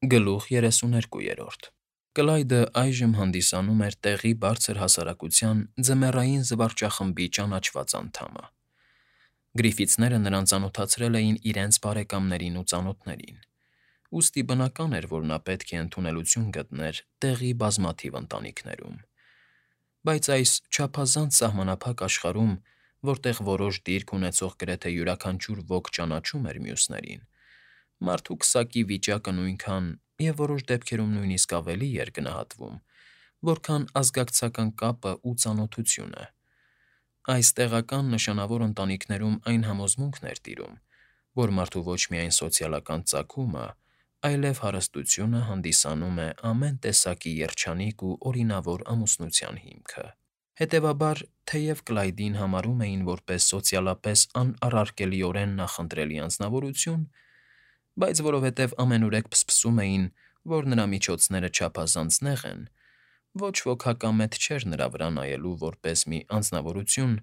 Գլուխ 32-րդ Կլայդը այժմ հանդիսանում էր տեղի բարձր հասարակության ձմեռային զվարճախմբի ճանաչված անդամը։ Գրիֆիթսները նրան ծանոթացրել էին իրենց բարեկամներին ու ծանոթներին, ուստի բնական էր, որ նա պետք է ընդունելություն գտներ տեղի բազմաթիվ ընտանիքներում։ Բայց այս չափազանց սահմանափակ աշխարհում, որտեղ որոշ դիրք ունեցող գրեթե յուրաքանչյուր ոք ճանաչում էր մյուսներին, մարդու քսակի վիճակը նույնքան և որոշ դեպքերում նույնիսկ ավելի էր գնահատվում, որքան ազգակցական կապը ու ծանոթությունը։ Այս տեղական նշանավոր ընտանիքներում այն համոզմունքն էր տիրում, որ մարդու ոչ միայն սոցիալական ծագումը, այլև հարստությունը հանդիսանում է ամեն տեսակի երջանիկ ու օրինավոր ամուսնության հիմքը։ Հետևաբար, թեև Կլայդին համարում էին որպես սոցիալապես անառարկելիորեն նախընտրելի անձնավորություն, բայց որովհետև ամենուրեք փսփսում էին, որ նրա միջոցները չափազանց նեղ են, ոչ ոք հակամետ չէր նրա վրա նայելու որպես մի անձնավորություն,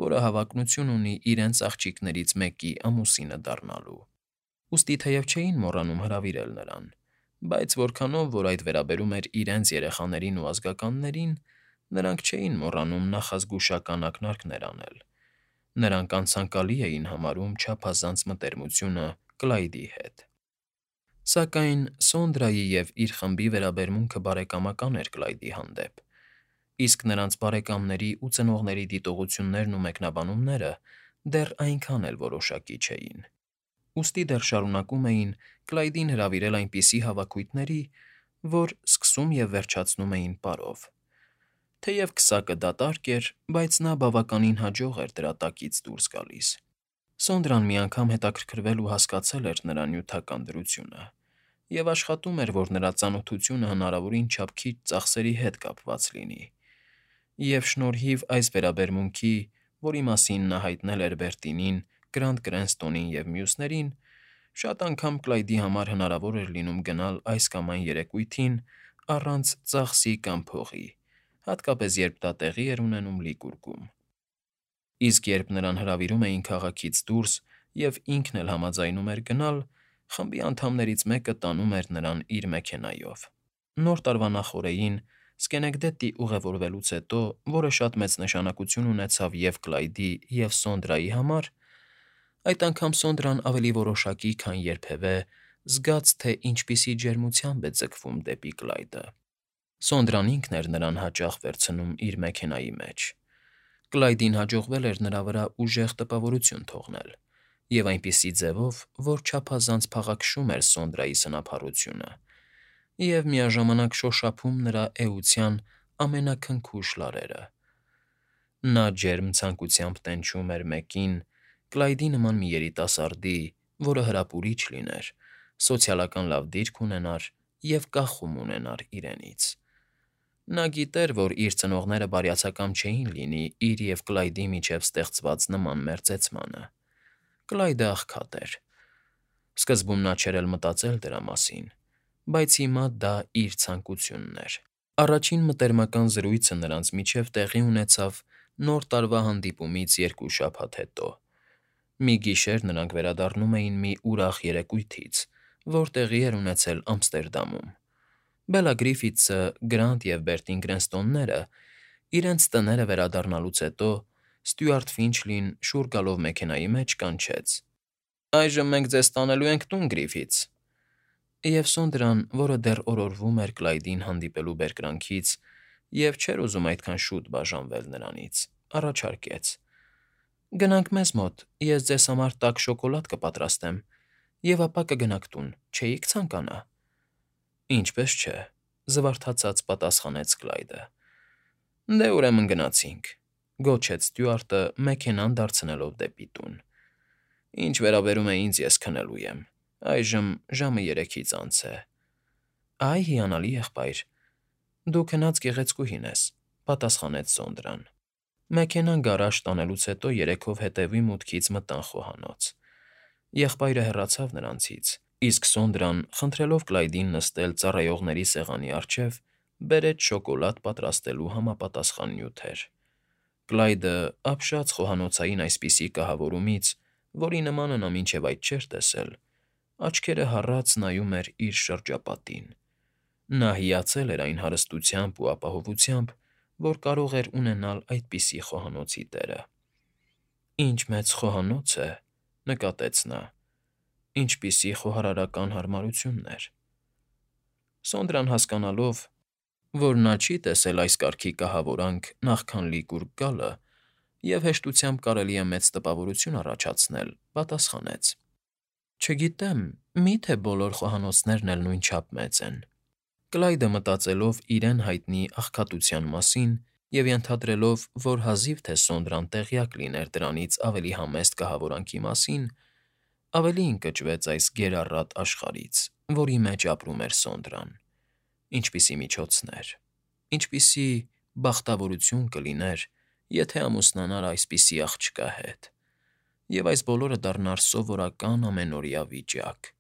որը հավակնություն ունի իրենց աղջիկներից մեկի ամուսինը դառնալու։ Ուստի թեև չէին մոռանում հրավիրել նրան, բայց որքանով որ այդ վերաբերում էր իրենց երեխաներին ու ազգականներին, նրանք չէին մոռանում նախազգուշական ակնարկներ անել։ Նրանք անցանկալի էին համարում չափազանց մտերմությունը Կլայդի հետ։ Սակայն Սոնդրայի և իր խմբի վերաբերմունքը բարեկամական էր Կլայդի հանդեպ, իսկ նրանց բարեկամների ու ծնողների դիտողություններն ու մեկնաբանումները դեռ այնքան էլ որոշակի չէին։ Ուստի դեռ շարունակում էին Կլայդին հրավիրել այնպիսի հավաքույթների, որ սկսում և վերջացնում էին պարով։ Թեև քսակը դատարկ էր, բայց նա բավականին հաջող էր դրա տակից դուրս գալիս։ Սոնդրան մի անգամ հետաքրքրվել ու հասկացել էր նրա նյութական դրությունը և աշխատում էր, որ նրա ծանոթությունը հնարավորին չափ քիչ ծախսերի հետ կապված լինի, և շնորհիվ այս վերաբերմունքի, որի մասին նա հայտնել էր Բերտինին, Գրանտ Կրենստոնին և մյուսներին, շատ անգամ Կլայդի համար հնարավոր էր լինում գնալ այս կամ այն երեկույթին առանց ծախսի կամ փողի, հատկապես երբ դա տեղի էր ունենում Լիկուրգում։ Իսկ երբ նրան հրավիրում էին քաղաքից դուրս և ինքն էլ համաձայնում էր գնալ, խմբի անդամներից մեկը տանում էր նրան իր մեքենայով։ Նոր տարվա նախօրեին Սկենեկդետի ուղևորվելուց հետո, որը շատ մեծ նշանակություն ունեցավ և Կլայդի, և Սոնդրայի համար, այդ անգամ Սոնդրան ավելի որոշակի, քան երբևէ զգաց, թե ինչպիսի ջերմությամբ է ձգվում դեպի Կլայդը։ Սոնդրան ինքն էր նրան հաճախ վերցնում իր մեքենայի մեջ։ Կլայդին հաջողվել էր նրա վրա ուժեղ տպավորություն թողնել, և այնպիսի ձևով, որ չափազանց փաղաքշում էր Սոնդրայի սնափառությունը և միաժամանակ շոշափում նրա էության ամենաքնքուշ լարերը։ Նա ջերմ ցանկությամբ տենչում էր մեկին, Կլայդի նման մի երիտասարդի, որը հրապուրիչ լիներ, սոցիալական լավ դիրք ունենար և կախում ունենար իրենից։ Նա գիտեր, որ իր ծնողները բարյացակամ չէին լինի իր և Կլայդի միջև ստեղծված նման մերձեցմանը։ Կլայդը աղքատ էր։ Սկզբում նա չէր էլ մտածել դրա մասին, բայց հիմա դա իր ցանկությունն էր։ Առաջին մտերմական զրույցը նրանց միջև տեղի ունեցավ Նոր տարվա հանդիպումից 2 շաբաթ հետո։ Մի գիշեր նրանք վերադառնում էին մի ուրախ երեկույթից, որ տեղի էր ունեցել Ամստերդամում։ Բելա Գրիֆիթսը, Գրանտ և Բերտին Կրենստոնները իրենց տները վերադառնալուց հետո Ստյուարտ Ֆինչլին շուռ գալով մեքենայի մեջ կանչեց. «Այժմ մենք ձեզ տանելու ենք տուն, Գրիֆիթս»։ Եվ Սոնդրան, որը դեռ օրորվում էր Կլայդին հանդիպելու բերկրանքից և չէր ուզում այդքան շուտ բաժանվել նրանից, առաջարկեց. «Գնանք մեզ մոտ, ես ձեզ համար տաք շոկոլադ կպատրաստեմ, և ապա կգնաք տուն, չէի՞ք ցանկանա»։ «Ինչպես չէ,֊ զվարթացած պատասխանեց Կլայդը։ Դե ուրեմն գնացինք,֊ գոչեց Ստյուարտը՝ մեքենան դարձնելով դեպի տուն։ Ինչ վերաբերում է ինձ, ես քնելու եմ, այժմ ժամը 3-ից անց է։ Այ հիանալի եղբայր, դու քնած գեղեցկուհին ես,֊ պատասխանեց Սոնդրան։ Մեքենան գարաժ տանելուց հետո երեքով հետևի մուտքից մտան խոհանոց։ Եղբայրը հեռացավ նրանցից, իսկ Սոնդրան, խնդրելով Կլայդին նստել ծառայողների սեղանի առջև, բերեց շոկոլադ պատրաստելու համապատասխան նյութեր։ Կլայդը, ապշած խոհանոցային այսպիսի կահավորումից, որի նմանը նա մինչև այդ չէր տեսել, Աչքերը հառած նայում էր իր շրջապատին։ Նա հիացել էր այն հարստությամբ ու ապահովությամբ, որ կարող էր ունենալ այդպիսի խոհանոցի տերը։ «Ինչ մեծ խոհանոց է», նկատեց նա, ինչպիսի խոհարարական հարմարություններ։ Սոնդրան հասկանալով, որ նա չի տեսել այս կարգի կահավորանք նախքան լիգուրգ գալը, և հեշտությամբ կարելի է մեծ տպավորություն առաջացնել, պատասխանեց. «Չգիտեմ, մի՞թե բոլոր խոհանոցներն էլ նույնչափ մեծ են»։ Կլայդը մտածելով իրեն հայտնի աղքատության մասին և ենթադրելով, որ հազիվ թե Սոնդրան տեղյակ լիներ դրանից ավելի համեստ կահավորանքի մասին, ավելի ընկճվեց այս գերառատ աշխարհից, որի մեջ ապրում էր Սոնդրան։ Ինչպիսի միջոցներ, ինչպիսի բախտավորություն կլիներ, եթե ամուսնանար այսպիսի աղջկա հետ, և այս բոլորը դառնար սովորական ամենօրյա վիճակ՝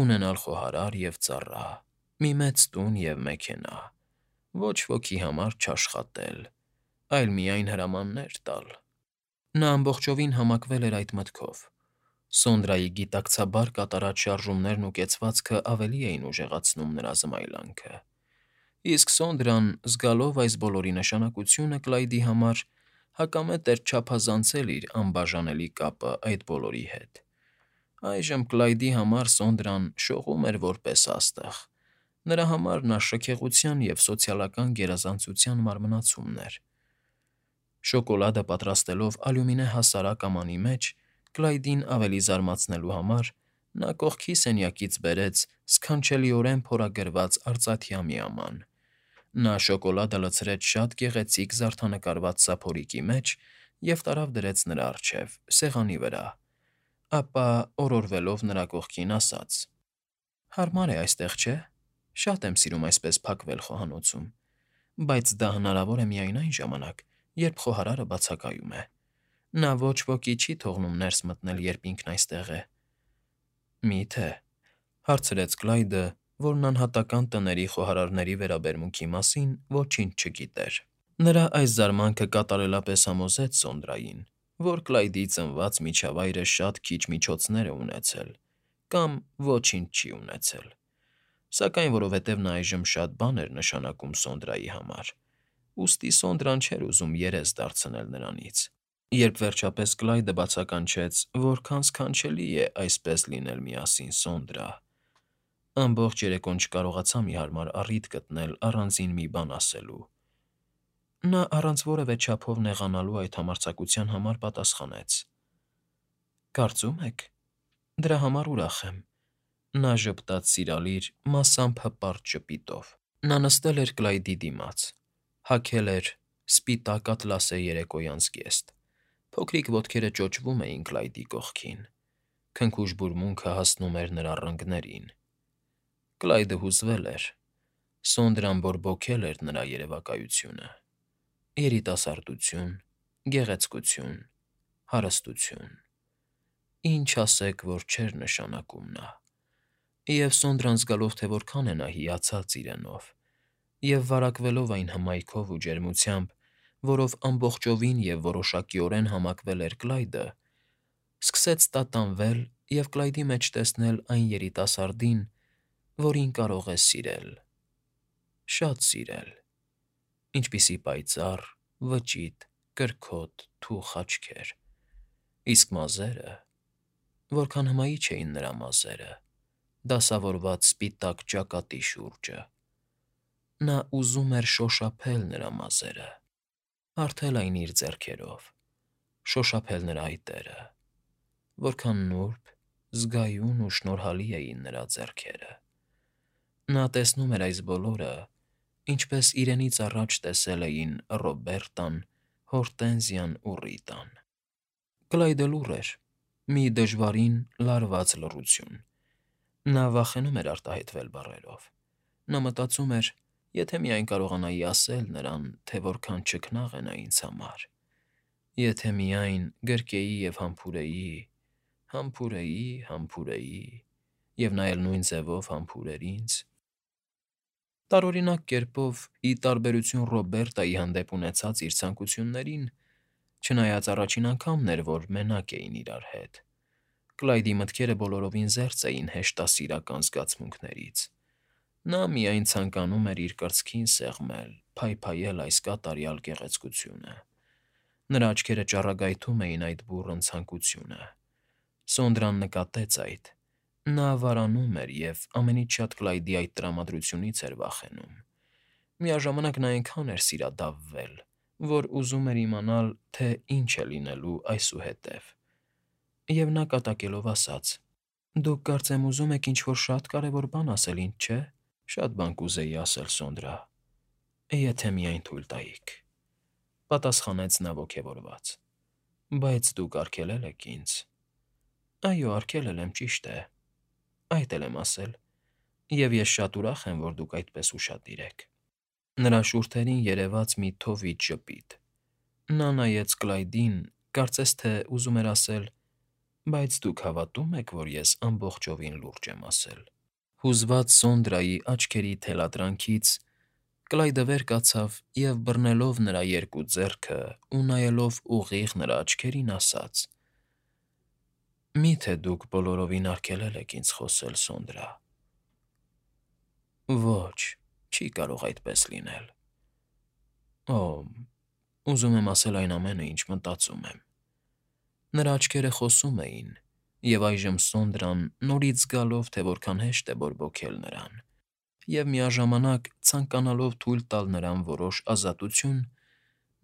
ունենալ խոհարար և ծառա, մի մեծ տուն և մեքենա, ոչ ոքի համար չաշխատել, այլ միայն հրամաններ տալ։ Նա ամբողջովին համակվել էր այդ մտքով։ Սոնդրայի գիտակցաբար կատարած շարժումներն ու կեցվածքը ավելի էին ուժեղացնում նրա զմայլանքը։ Իսկ Սոնդրան, զգալով այս բոլորի նշանակությունը Կլայդի համար, հակամետ էր չափազանցել իր անբաժանելի կապը այդ բոլորի հետ։ Այժմ Կլայդի համար Սոնդրան շողում էր որպես աստղ։ Նրա համար նա շքեղության և սոցիալական գերազանցության մարմնացումն էր։ Շոկոլադը պատրաստելով ալյումինե հասարակ ամանի մեջ, Կլայդին ավելի զարմացնելու համար, նա կողքի սենյակից բերեց սքանչելիորեն փորագրված արծաթյա մի աման։ Նա շոկոլադը լցրեց շատ գեղեցիկ զարդանկարված սափորիկի մեջ և տարավ դրեց նրա առջև, սեղանի վրա, ապա օրորվելով նրա կողքին, ասաց. «Հարմար է այստեղ, չէ՞։ Շատ եմ սիրում այսպես փակվել խոհանոցում, բայց դա հնարավոր է միայն այն ժամանակ, երբ խոհարարը բացակայում է։ Նա ոչ ոքի չի թողնում ներս մտնել, երբ ինքն այստեղ է»։ «Մի՞թե», հարցրեց Կլայդը, որն անհատական տների խոհարարների վերաբերմունքի մասին ոչինչ չգիտեր։ Նրա այս զարմանքը կատարելապես համոզեց Սոնդրային, որ Կլայդի ծնված միջավայրը շատ քիչ միջոցներ է ունեցել կամ ոչինչ չի ունեցել։ Սակայն որովհետև նա այժմ շատ բան էր նշանակում Սոնդրայի համար, ուստի Սոնդրան չէր ուզում երես դարձնել նրանից։ Երբ վերջապես Կլայդը բացականչեց, որքան սքանչելի է այսպես լինել միասին Սոնդրա, ամբողջ երեկոն չկարողացա մի հարմար առիթ գտնել առանձին մի բան ասելու։ Նա առանց որևէ չափով նեղանալու այդ համարձակության համար պատասխանեց. «Կարծում եք, դրա համար ուրախ եմ»։ Նա ժպտաց սիրալիր, մասամբ հպարտ ժպիտով։ Նա նստել էր Կլայդի դիմաց, հագել էր սպիտակ ատլասե երեկոյան զգեստ, փոքրիկ ոտքերը ճոճվում էին Կլայդի կողքին, քնքուշ բուրմունքը հասնում էր նրա ռնգներին։ Կլայդը հուզվել էր, Սոնդրան բորբոքել էր նրա երևակայությունը։ Երիտասարդություն, գեղեցկություն, հարստություն… Ինչ ասեք, որ չէր նշանակում նա։ Եվ Սոնդրան զգալով, թե որքան է նա հիացած իրենով, և վարակվելով այն հմայքով ու ջերմությամբ, որով ամբողջովին և որոշակիորեն համակվել էր Կլայդը, սկսեց տատանվել և Կլայդի մեջ տեսնել այն երիտասարդին, որին կարող է սիրել, շատ սիրել։ Ինչպիսի պայծառ, վճիտ, կրքոտ, թուխ աչքեր… Իսկ մազերը… Որքան հմայիչ էին նրա մազերը, դասավորված սպիտակ ճակատի շուրջը… Նա ուզում էր շոշափել նրա մազերը, հարթել այն իր ձեռքերով, շոշափել նրա այտերը… Որքան նուրբ, զգայուն ու շնորհալի էին նրա ձեռքերը… Նա տեսնում էր այս բոլորը, ինչպես իրենից առաջ տեսել էին Ռոբերտան, Հորտենզիան ու Ռիտան։ Կլայդը լուռ էր, մի դժվարին, լարված լռություն։ Նա վախենում էր արտահայտվել բառերով։ Նա մտածում էր. «Եթե միայն կարողանայի ասել նրան, թե որքան չքնաղ է նա ինձ համար… Եթե միայն գրկեի և համբուրեի, համբուրեի, համբուրեի, և նա էլ նույն ձևով համբուրեր ինձ»։ Տարօրինակ կերպով, ի տարբերություն Ռոբերտայի հանդեպ ունեցած իր ցանկություններին, չնայած առաջին անգամն էր, որ մենակ էին իրար հետ, Կլայդի մտքերը բոլորովին զերծ էին հեշտասիրական զգացմունքներից։ Նա միայն ցանկանում էր իր կրծքին սեղմել, փայփայել այս կատարյալ գեղեցկությունը։ Նրա աչքերը ճառագայթում էին այդ բուռն ցանկությունը։ Սոնդրան նկատեց այդ։ Նա վարանում էր և ամենից շատ Կլայդի այդ տրամադրությունից էր վախենում։ Միաժամանակ նա այնքան էր սիրադավվել, որ ուզում էր իմանալ, թե ինչ է լինելու այսուհետև։ Եվ նա կատակելով ասաց. «Դուք կարծեմ ուզում եք ինչ֊որ շատ կարևոր բան ասել, ինչ չէ»։ Շատ բան կուզեի ասել, Սոնդրա, եթե միայն թույլ տայիք,֊ պատասխանեց նա ոգևորված։ Բայց դուք արգելել եք ինձ։ Այո, արգելել եմ, ճիշտ է, այդ էլ եմ ասել, և ես շատ ուրախ եմ, որ դուք այդպես ուշադիր եք։ Նրա շուրթերին երևաց մի թովիճ ժպիտ։ Նա նայեց Կլայդին, կարծես թե ուզում էր ասել. «Բայց դուք հավատո՞ւմ եք, որ ես ամբողջովին լուրջ եմ ասել»։ Հուզված Սոնդրայի աչքերի թելադրանքից Կլայդը վեր կացավ և, բռնելով նրա երկու ձեռքը ու նայելով ուղիղ նրա աչքերին, ասաց. «Մի՞թե դուք բոլորովին արգելել եք ինձ խոսել, Սոնդրա»։ Ոչ, չի կարող այդպես լինել։ Օ, ուզում եմ ասել այն ամենը, ինչ մտածում եմ։ Նրա աչքերը խոսում էին, և այժմ Սոնդրան, նորից զգալով, թե որքան հեշտ է բորբոքել նրան, և միաժամանակ ցանկանալով թույլ տալ նրան որոշ ազատություն,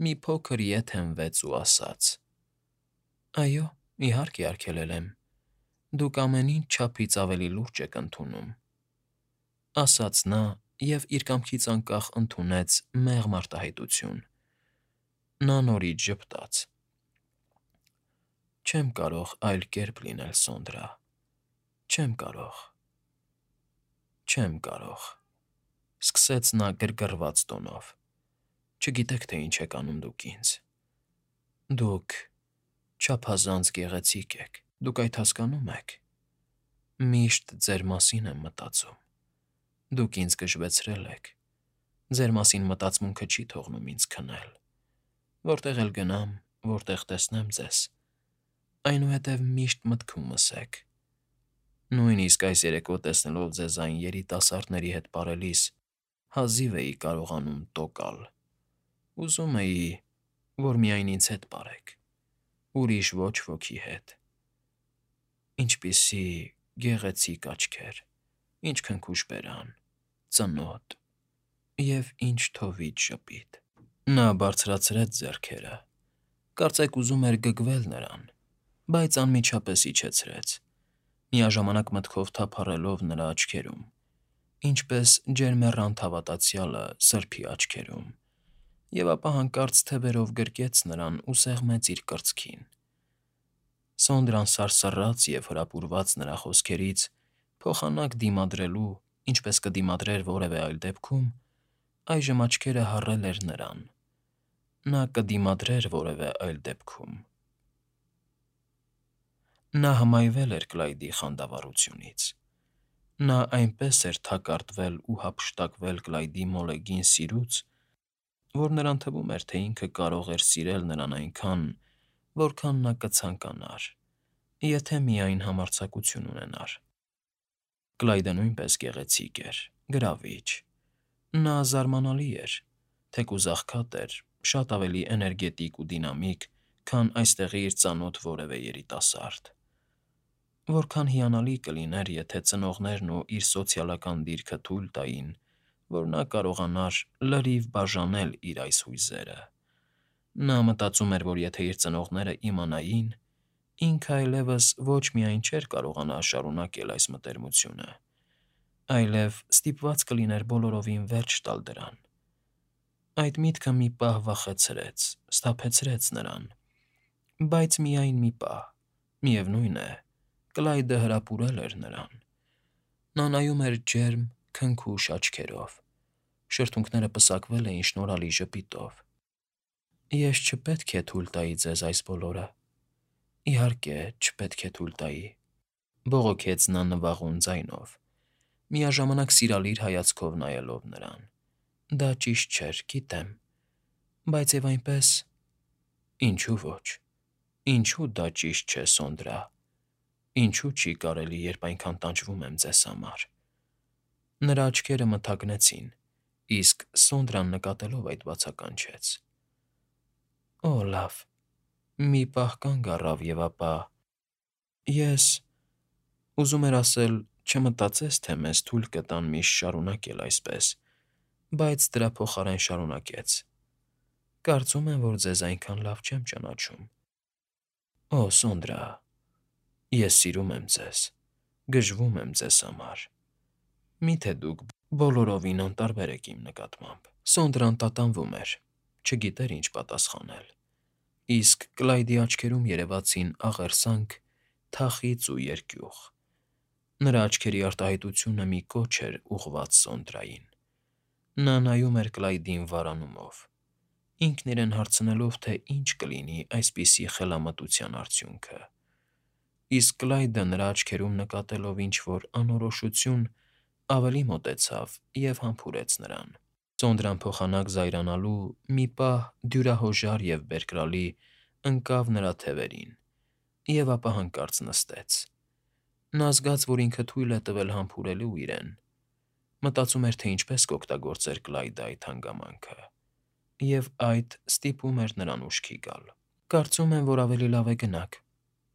մի փոքր ետ հենվեց ու ասաց. «Այո, իհարկե, արգելել եմ։ Դուք ամեն ինչ չափից ավելի լուրջ եք ընդունում», ասաց նա և իր կամքից անկախ ընդունեց մեղմ արտահայտություն։ Նա նորից ժպտաց. «Չեմ կարող այլ կերպ լինել, Սոնդրա, չեմ կարող, չեմ կարող,֊ սկսեց նա գրգռված տոնով։ Չգիտեք, թե ինչ եք անում դուք ինձ։ Դուք չափազանց գեղեցիկ եք, դուք այդ հասկանո՞ւմ եք։ Միշտ ձեր մասին եմ մտածում։ Դուք ինձ գժվեցրել եք։ Ձեր մասին մտածմունքը չի թողնում ինձ քնել։ Որտեղ էլ գնամ, որտեղ տեսնեմ ձեզ, այնուհետև միշտ մտքումս եք։ Նույնիսկ այս երեկո տեսնելով ձեզ այն երիտասարդների հետ պարելիս, հազիվ էի կարողանում տոկալ։ Ուզում էի, որ միայն ինձ հետ պարեք, ուրիշ ոչ ոքի հետ։ Ինչպիսի գեղեցիկ աչքեր, ինչ քնքուշ բերան, ծնոտ, և ինչ թովիճ ժպիտ։ Նա բարձրացրեց ձեռքերը, կարծեք ուզում էր գգվել նրան, բայց անմիջապես իջեցրեց, միաժամանակ մտքով թափառելով նրա աչքերում, ինչպես ջերմեռանդ հավատացյալը սրբի աչքերում, և ապա հանկարծ թևերով գրկեց նրան ու սեղմեց իր կրծքին։ Սոնդրան սարսռաց և, հրապուրված նրա խոսքերից, փոխանակ դիմադրելու, ինչպես կդիմադրեր որևէ այլ դեպքում, այժմ աչքերը հառել էր նրան։ Նա կդիմադրեր որևէ այլ դեպքում։ Նա հմայվել էր Կլայդի խանդավառությունից։ Նա այնպես էր թակարդվել ու հափշտակվել Կլայդի մոլեգին սիրուց, որ նրան թվում էր, թե ինքը կարող էր սիրել նրան այնքան, որքան նա կցանկանար, եթե միայն համարձակություն ունենար։ Կլայդը նույնպես գեղեցիկ էր, գրավիչ։ Նա զարմանալի էր, թեկուզ աղքատ էր, շատ ավելի էներգետիկ ու դինամիկ, քան այստեղի իր ծանոթ որևէ երիտասարդ։ Որքան հիանալի կլիներ, եթե ծնողներն ու իր սոցիալական դիրքը թույլ տային, որ նա կարողանար լրիվ բաժանել իր այս հույզերը։ Նա մտածում էր, որ եթե իր ծնողները իմանային, ինքը այլևս ոչ միայն չէր կարողանա շարունակել այս մտերմությունը, այլև ստիպված կլիներ բոլորովին վերջ տալ դրան։ Այդ միտքը մի պահ վախեցրեց, սթափեցրեց նրան։ Բայց միայն մի պահ, միևնույն է, Կլայդը հրապուրել էր նրան։ Նա նայում էր ջերմ, քնքուշ աչքերով, շրթունքները պսակվել էին շնորհալի ժպիտով։ Ես չպետք է թույլ տայի ձեզ այս բոլորը։ Իհարկե, չպետք է թույլ տայի,֊ բողոքեց նա նվաղուն ձայնով, միաժամանակ սիրալիր հայացքով նայելով նրան։ Դա ճիշտ չէր, գիտեմ, բայց և այնպես… Ինչու ոչ, ինչու դա ճիշտ չէ, Սոնդրա։ Ինչու չի կարելի, երբ այնքան տանջվում եմ ձեզ համար։ Նրա աչքերը մթագնեցին, իսկ Սոնդրան նկատելով այդ բացականչեց. Օ, լավ, մի պահ կանգ առավ և ապա… Ես… ուզում էր ասել, չմտածեց, թե մեզ թույլ կտան միշտ շարունակել այսպես, բայց դրա փոխարեն շարունակեց. Կարծում եմ, որ ձեզ այնքան լավ չեմ ճանաչում։ Օ, Սոնդրա, ես սիրում եմ ձեզ, գժվում եմ ձեզ համար։ Մի՞թե դուք բոլորովին անտարբեր եք իմ նկատմամբ։ Սոնդրան տատանվում էր, չգիտեր ինչ պատասխանել, իսկ Կլայդի աչքերում երևացին աղերսանք, թախիծ ու երկյուղ։ Նրա աչքերի արտահայտությունը մի կոչ էր ուղղված Սոնդրային։ Նա նայում էր Կլայդին վարանումով, ինքն իրեն հարցնելով, թե ինչ կլինի այսպիսի խելամտության արդյունքը։ Իսկ Կլայդը նրա աչքերում նկատելով ինչ֊որ անորոշություն, ավելի մոտեցավ և համբուրեց նրան։ Սոնդրան փոխանակ զայրանալու մի պահ դյուրահոժար և բերկրալի ընկավ նրա թևերին և ապա հանկարծ նստեց։ Նա զգաց, որ ինքը թույլ է տվել համբուրելու իրեն, մտածում էր, թե ինչպես կօգտագործեր Կլայդը այդ հանգամանքը, և այդ ստիպում էր նրան ուշքի գալ։ Կարծում եմ, որ ավելի լավ է գնաք,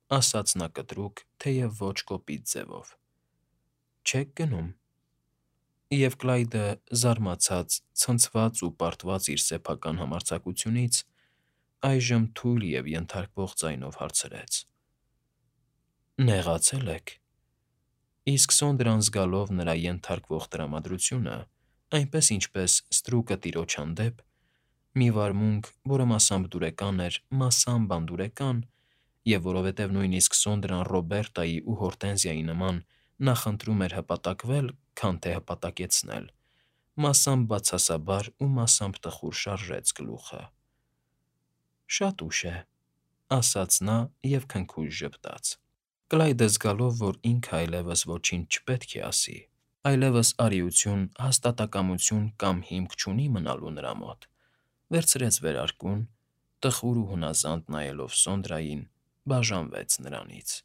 ասաց նա կտրուկ, թեև ոչ կոպիտ ձևով։ Չե՞ք գնում։ Եվ Կլայդը, զարմացած, ցնցված ու պարտված իր սեփական համարձակությունից, այժմ թույլ և ենթարկվող ձայնով հարցրեց. Նեղացե՞լ եք։ Իսկ Սոնդրան զգալով նրա ենթարկվող տրամադրությունը, այնպես ինչպես ստրուկը տիրոջ հանդեպ, մի վարմունք, որը մասամբ դուրեկան էր, մասամբ անդուրեկան, և որովհետև նույնիսկ Սոնդրան Ռոբերտայի ու Հորտենզիայի նման նախընտրում էր հպատակվել, քան թե հպատակեցնել, մասամբ բացասաբար ու մասամբ տխուր շարժեց գլուխը։ Շատ ուշ է, ասաց նա և քնքուշ ժպտաց։ Կլայդը զգալով, որ ինքը այլևս ոչինչ չպետք է ասի, այլևս արիություն, հաստատակամություն կամ հիմք չունի մնալու նրա մոտ, վերցրեց վերարկուն, տխուր ու հունազանդ նայելով Սոնդրային, բաժանվեց նրանից։